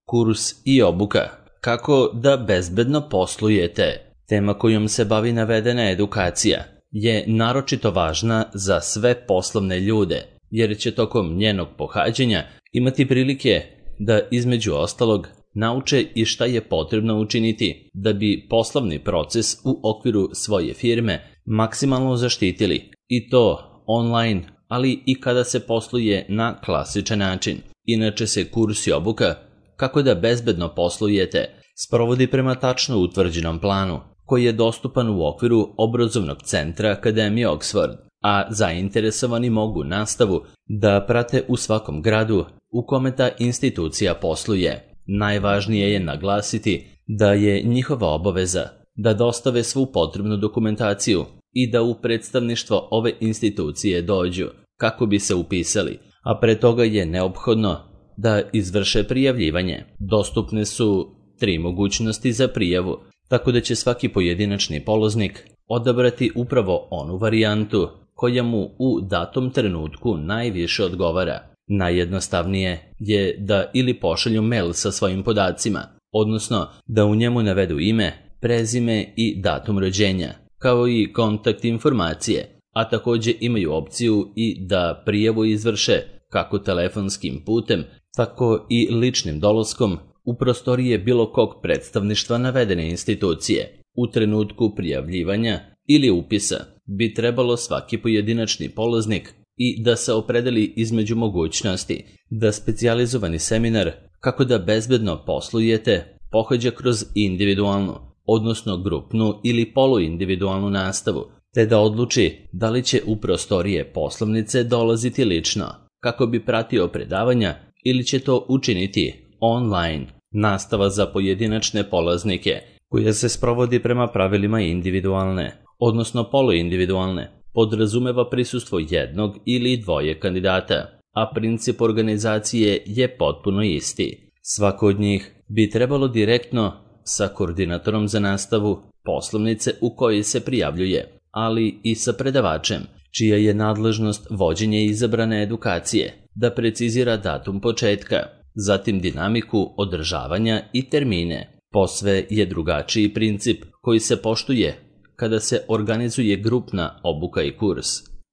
Kurs i obuka. Kako da bezbedno poslujete? Tema kojom se bavi navedena edukacija je naročito važna za sve poslovne ljude, jer će tokom njenog pohađanja imati prilike da između ostalog nauče i šta je potrebno učiniti da bi poslovni proces u okviru svoje firme maksimalno zaštitili, i to online, ali i kada se posluje na klasičan način. Inače se kurs i obuka kako da bezbedno poslujete sprovodi prema tačno utvrđenom planu, koji je dostupan u okviru obrazovnog centra Akademije Oxford, a zainteresovani mogu nastavu da prate u svakom gradu u kome ta institucija posluje. Najvažnije je naglasiti da je njihova obaveza da dostave svu potrebnu dokumentaciju i da u predstavništvo ove institucije dođu kako bi se upisali, a pre toga je neophodno da izvrše prijavljivanje. Dostupne su 3 mogućnosti za prijavu, tako da će svaki pojedinačni polaznik odabrati upravo onu varijantu koja mu u datom trenutku najviše odgovara. Najjednostavnije je da ili pošalju mail sa svojim podacima, odnosno da u njemu navedu ime, prezime i datum rođenja, kao i kontakt informacije, a također imaju opciju i da prijavu izvrše kako telefonskim putem, tako i ličnim dolaskom u prostorije bilo kog predstavništva navedene institucije. U trenutku prijavljivanja ili upisa bi trebalo svaki pojedinačni polaznik i da se opredeli između mogućnosti da specijalizovani seminar kako da bezbedno poslujete pohađa kroz individualnu, odnosno grupnu ili poluindividualnu nastavu, te da odluči da li će u prostorije poslovnice dolaziti lično kako bi pratio predavanja ili će to učiniti online. Nastava za pojedinačne polaznike, koja se sprovodi prema pravilima individualne, odnosno poluindividualne, podrazumeva prisustvo jednog ili dvoje kandidata, a princip organizacije je potpuno isti. Svako od njih bi trebalo direktno sa koordinatorom za nastavu poslovnice u kojoj se prijavljuje, ali i sa predavačem, čija je nadležnost vođenje izabrane edukacije, da precizira datum početka, zatim dinamiku održavanja i termine. Posve je drugačiji princip koji se poštuje kada se organizuje grupna obuka i kurs,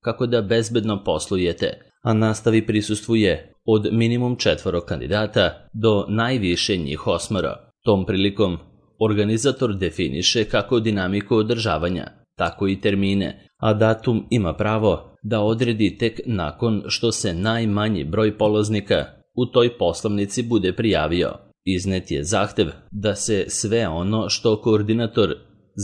kako da bezbedno poslujete, a nastavi prisustvuje od minimum 4 kandidata do najviše njih 8. Tom prilikom organizator definiše kako dinamiku održavanja, tako i termine, a datum ima pravo da odredi tek nakon što se najmanji broj polaznika u toj poslovnici bude prijavio. Iznet je zahtev da se sve ono što koordinator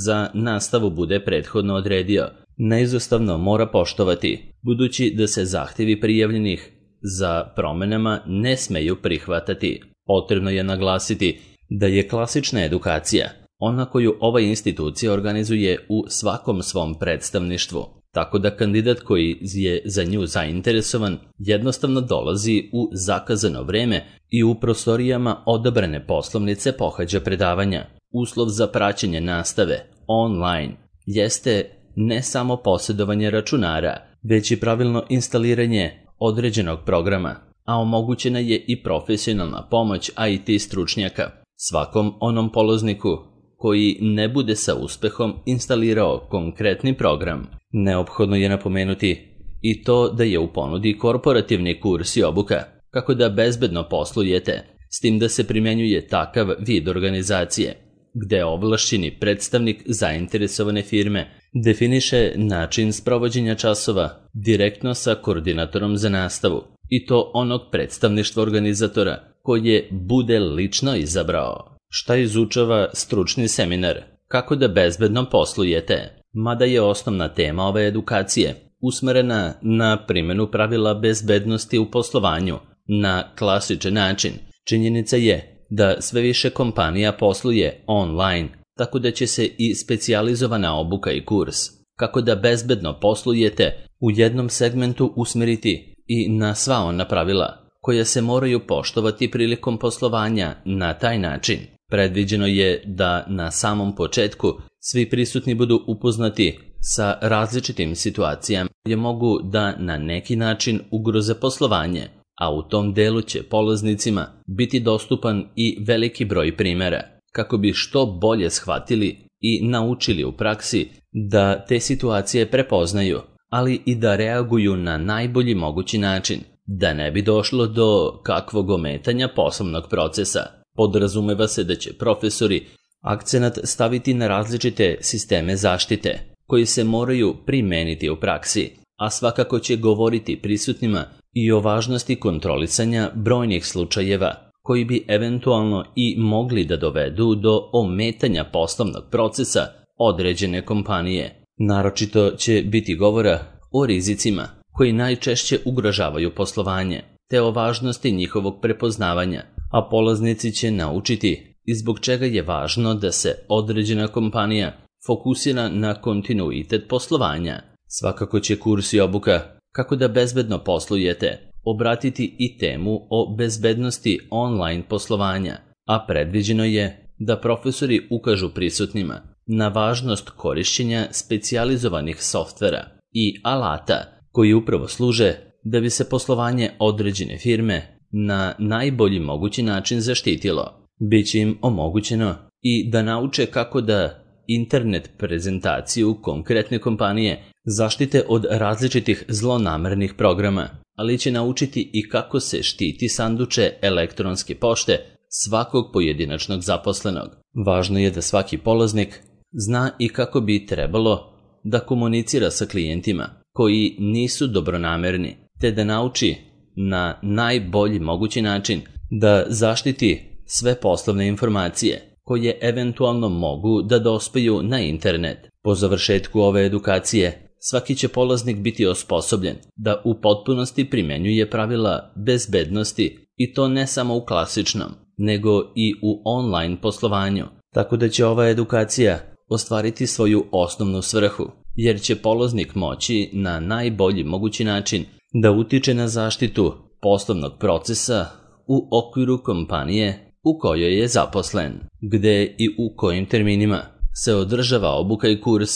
za nastavu bude prethodno odredio neizostavno mora poštovati, budući da se zahtevi prijavljenih za promenama ne smeju prihvatati. Potrebno je naglasiti da je klasična edukacija ona koju ova institucija organizuje u svakom svom predstavništvu, tako da kandidat koji je za nju zainteresovan jednostavno dolazi u zakazano vreme i u prostorijama odabrane poslovnice pohađa predavanja. Uslov za praćenje nastave online jeste ne samo posjedovanje računara, već i pravilno instaliranje određenog programa, a omogućena je i profesionalna pomoć IT stručnjaka. Svakom onom polazniku koji ne bude sa uspehom instalirao konkretni program, neophodno je napomenuti i to da je u ponudi korporativni kurs i obuka, kako da bezbedno poslujete, s tim da se primjenjuje takav vid organizacije, gde ovlašćeni predstavnik zainteresovane firme definiše način sprovođenja časova direktno sa koordinatorom za nastavu, i to onog predstavništva organizatora koje bude lično izabrao. Šta izučava stručni seminar? Kako da bezbedno poslujete? Mada je osnovna tema ove edukacije usmerena na primjenu pravila bezbednosti u poslovanju na klasičan način, činjenica je da sve više kompanija posluje online, tako da će se i specijalizovana obuka i kurs kako da bezbedno poslujete u jednom segmentu usmeriti i na sva ona pravila koja se moraju poštovati prilikom poslovanja na taj način. Predviđeno je da na samom početku svi prisutni budu upoznati sa različitim situacijama koje mogu da na neki način ugroze poslovanje, a u tom delu će polaznicima biti dostupan i veliki broj primjera, kako bi što bolje shvatili i naučili u praksi da te situacije prepoznaju, ali i da reaguju na najbolji mogući način, da ne bi došlo do kakvog ometanja poslovnog procesa. Podrazumeva se da će profesori akcenat staviti na različite sisteme zaštite, koji se moraju primeniti u praksi, a svakako će govoriti prisutnima i o važnosti kontrolisanja brojnih slučajeva, koji bi eventualno i mogli da dovedu do ometanja poslovnog procesa određene kompanije. Naročito će biti govora o rizicima koji najčešće ugrožavaju poslovanje, te o važnosti njihovog prepoznavanja, a polaznici će naučiti i zbog čega je važno da se određena kompanija fokusira na kontinuitet poslovanja. Svakako će kurs i obuka kako da bezbedno poslujete obratiti i temu o bezbednosti online poslovanja, a predviđeno je da profesori ukažu prisutnima na važnost korišćenja specijalizovanih softvera i alata koji upravo služe da bi se poslovanje određene firme na najbolji mogući način zaštitilo. Biće im omogućeno i da nauče kako da internet prezentaciju konkretne kompanije zaštite od različitih zlonamernih programa, ali će naučiti i kako se štiti sanduče elektronske pošte svakog pojedinačnog zaposlenog. Važno je da svaki polaznik zna i kako bi trebalo da komunicira sa klijentima koji nisu dobronamerni, te da nauči na najbolji mogući način da zaštiti sve poslovne informacije koje eventualno mogu da dospiju na internet. Po završetku ove edukacije, svaki će polaznik biti osposobljen da u potpunosti primenjuje pravila bezbednosti i to ne samo u klasičnom, nego i u online poslovanju. Tako da će ova edukacija ostvariti svoju osnovnu svrhu, jer će polaznik moći na najbolji mogući način da utiče na zaštitu poslovnog procesa u okviru kompanije u kojoj je zaposlen, gde i u kojim terminima se održava obuka i kurs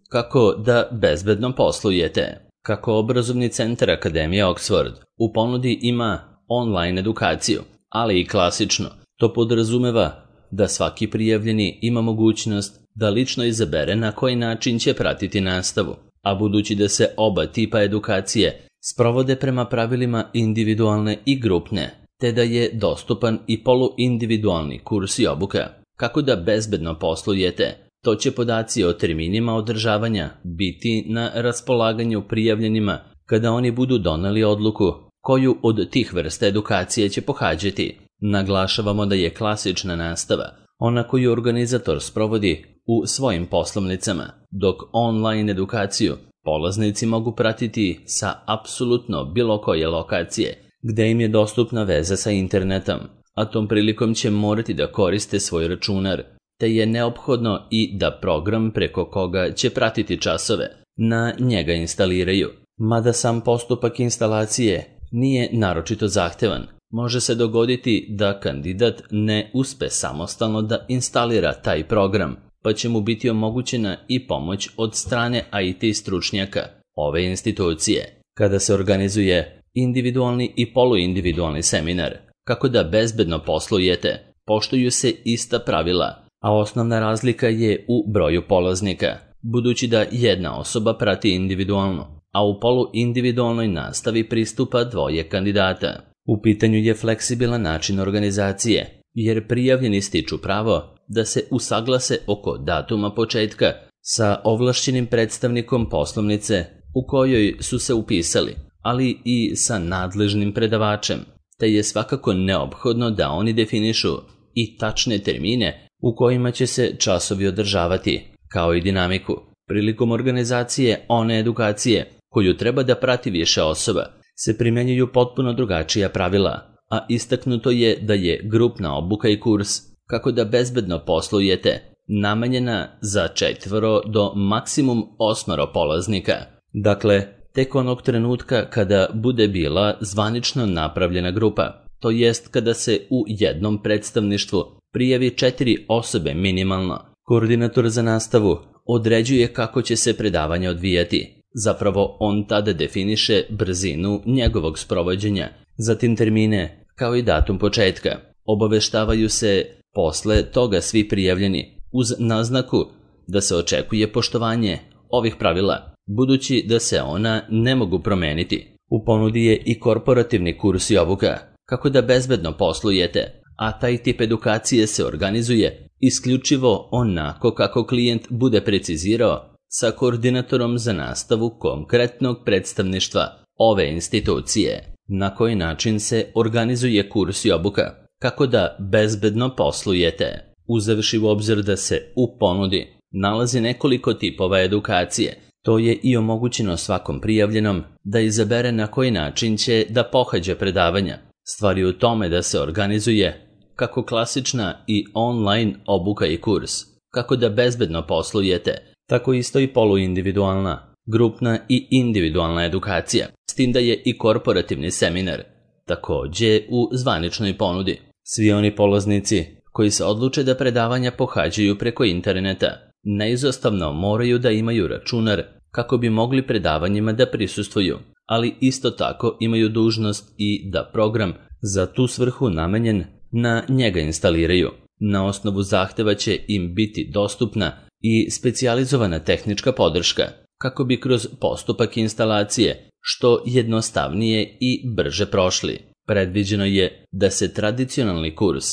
kako da bezbedno poslujete. Kako obrazovni centar Akademije Oxford u ponudi ima online edukaciju, ali i klasično, to podrazumeva da svaki prijavljeni ima mogućnost da lično izabere na koji način će pratiti nastavu, a budući da se oba tipa edukacije sprovode prema pravilima individualne i grupne, te da je dostupan i poluindividualni kurs i obuka, kako da bezbedno poslujete, to će podaci o terminima održavanja biti na raspolaganju prijavljenima kada oni budu doneli odluku koju od tih vrsta edukacije će pohađati. Naglašavamo da je klasična nastava ona koju organizator sprovodi u svojim poslovnicama, dok online edukaciju polaznici mogu pratiti sa apsolutno bilo koje lokacije gde im je dostupna veza sa internetom, a tom prilikom će morati da koriste svoj računar, te je neophodno i da program preko koga će pratiti časove na njega instaliraju. Mada sam postupak instalacije nije naročito zahtevan, može se dogoditi da kandidat ne uspe samostalno da instalira taj program, pa će mu biti omogućena i pomoć od strane IT stručnjaka ove institucije. Kada se organizuje individualni i poluindividualni seminar, kako da bezbedno poslujete, poštuju se ista pravila, a osnovna razlika je u broju polaznika, budući da jedna osoba prati individualno, a u poluindividualnoj nastavi pristupa dvoje kandidata. U pitanju je fleksibilan način organizacije, jer prijavljeni stiču pravo da se usaglase oko datuma početka sa ovlašćenim predstavnikom poslovnice u kojoj su se upisali, ali i sa nadležnim predavačem, te je svakako neophodno da oni definišu i tačne termine u kojima će se časovi održavati, kao i dinamiku. Prilikom organizacije one edukacije koju treba da prati više osoba, se primjenjuju potpuno drugačija pravila, a istaknuto je da je grupna obuka i kurs kako da bezbedno poslujete namenjena za 4 do maksimum 8 polaznika. Dakle, tek onog trenutka kada bude bila zvanično napravljena grupa, to jest kada se u jednom predstavništvu prijavi 4 osobe minimalno. Koordinator za nastavu određuje kako će se predavanje odvijati, Zapravo on tada definiše brzinu njegovog sprovođenja, zatim termine, kao i datum početka. Obaveštavaju se posle toga svi prijavljeni, uz naznaku da se očekuje poštovanje ovih pravila, budući da se ona ne mogu promeniti. U ponudi je i korporativni kurs i obuka, kako da bezbedno poslujete, a taj tip edukacije se organizuje isključivo onako kako klijent bude precizirao sa koordinatorom za nastavu konkretnog predstavništva ove institucije. Na koji način se organizuje kurs i obuka, kako da bezbedno poslujete, uzevši u obzir da se u ponudi nalazi nekoliko tipova edukacije. To je i omogućeno svakom prijavljenom da izabere na koji način će da pohađa predavanja. Stvar je u tome da se organizuje kako klasična i online obuka i kurs, kako da bezbedno poslujete, tako isto i poluindividualna, grupna i individualna edukacija, s tim da je i korporativni seminar, takođe u zvaničnoj ponudi. Svi oni polaznici koji se odluče da predavanja pohađaju preko interneta, neizostavno moraju da imaju računar kako bi mogli predavanjima da prisustvuju, ali isto tako imaju dužnost i da program za tu svrhu namenjen na njega instaliraju. Na osnovu zahteva će im biti dostupna i specijalizovana tehnička podrška, kako bi kroz postupak instalacije što jednostavnije i brže prošli. Predviđeno je da se tradicionalni kurs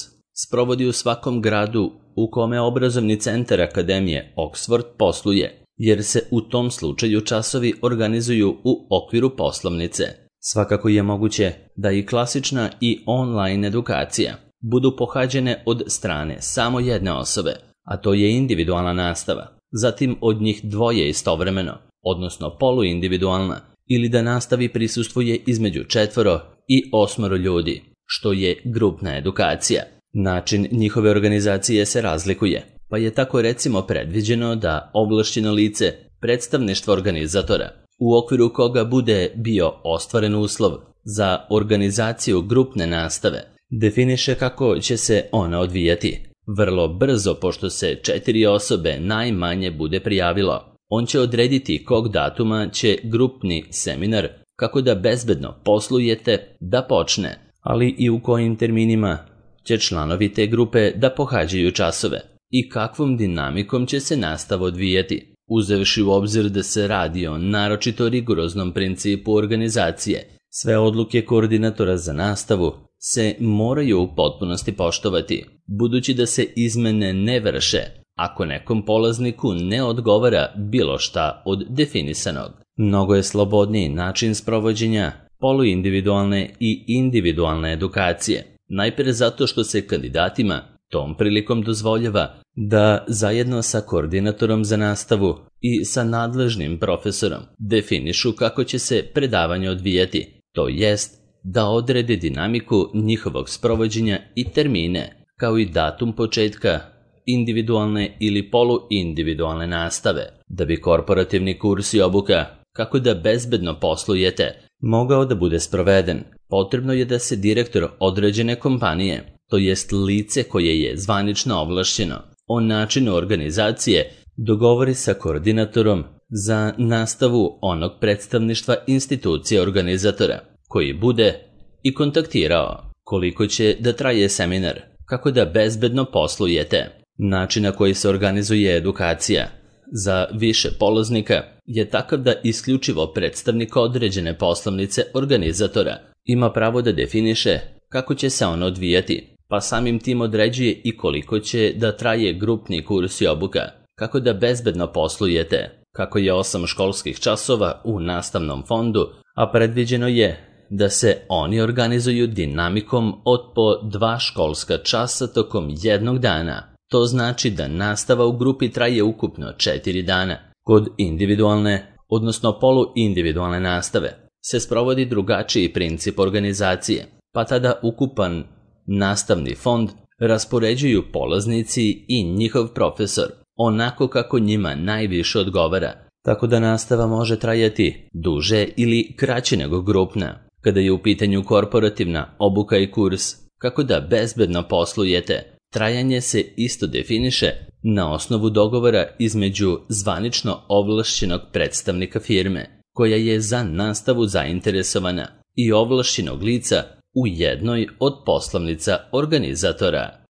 sprovodi u svakom gradu u kome obrazovni centar Akademije Oxford posluje, jer se u tom slučaju časovi organizuju u okviru poslovnice. Svakako je moguće da i klasična i online edukacija budu pohađene od strane samo jedne osobe, a to je individualna nastava, zatim od njih dvoje istovremeno, odnosno poluindividualna, ili da nastavi prisustvuje između 4 i 8 ljudi, što je grupna edukacija. Način njihove organizacije se razlikuje, pa je tako recimo predviđeno da ovlašćeno lice predstavništva organizatora, u okviru koga bude bio ostvaren uslov za organizaciju grupne nastave, definiše kako će se ona odvijati. Vrlo brzo, pošto se 4 osobe najmanje bude prijavilo, on će odrediti kog datuma će grupni seminar, kako da bezbedno poslujete, da počne, ali i u kojim terminima će članovi te grupe da pohađaju časove i kakvom dinamikom će se nastava odvijati, uzevši u obzir da se radi o naročito rigoroznom principu organizacije. Sve odluke koordinatora za nastavu se moraju u potpunosti poštovati, budući da se izmene ne vrše ako nekom polazniku ne odgovara bilo šta od definisanog. Mnogo je slobodniji način sprovođenja poluindividualne i individualne edukacije, najpre zato što se kandidatima tom prilikom dozvoljava da zajedno sa koordinatorom za nastavu i sa nadležnim profesorom definišu kako će se predavanje odvijati, to jest da odrede dinamiku njihovog sprovođenja i termine, kao i datum početka individualne ili poluindividualne nastave. Da bi korporativni kurs i obuka, kako da bezbedno poslujete, mogao da bude sproveden, potrebno je da se direktor određene kompanije, to jest lice koje je zvanično ovlašćeno, o načinu organizacije dogovori sa koordinatorom za nastavu onog predstavništva institucije organizatora, koji bude i kontaktirao koliko će da traje seminar, kako da bezbedno poslujete. Način na koji se organizuje edukacija za više polaznika je takav da isključivo predstavnik određene poslovnice organizatora ima pravo da definiše kako će se ono odvijati, pa samim tim određuje i koliko će da traje grupni kurs i obuka, kako da bezbedno poslujete, kako je 8 školskih časova u nastavnom fondu, a predviđeno je da se oni organizuju dinamikom od po 2 školska časa tokom jednog dana. To znači da nastava u grupi traje ukupno 4 dana. Kod individualne, odnosno poluindividualne nastave, se sprovodi drugačiji princip organizacije, pa tada ukupan nastavni fond raspoređuju polaznici i njihov profesor, onako kako njima najviše odgovara, tako da nastava može trajati duže ili kraće nego grupna. Kada je u pitanju korporativna obuka i kurs, kako da bezbedno poslujete, trajanje se isto definiše na osnovu dogovora između zvanično ovlašćenog predstavnika firme, koja je za nastavu zainteresovana, i ovlašćenog lica u jednoj od poslovnica organizatora.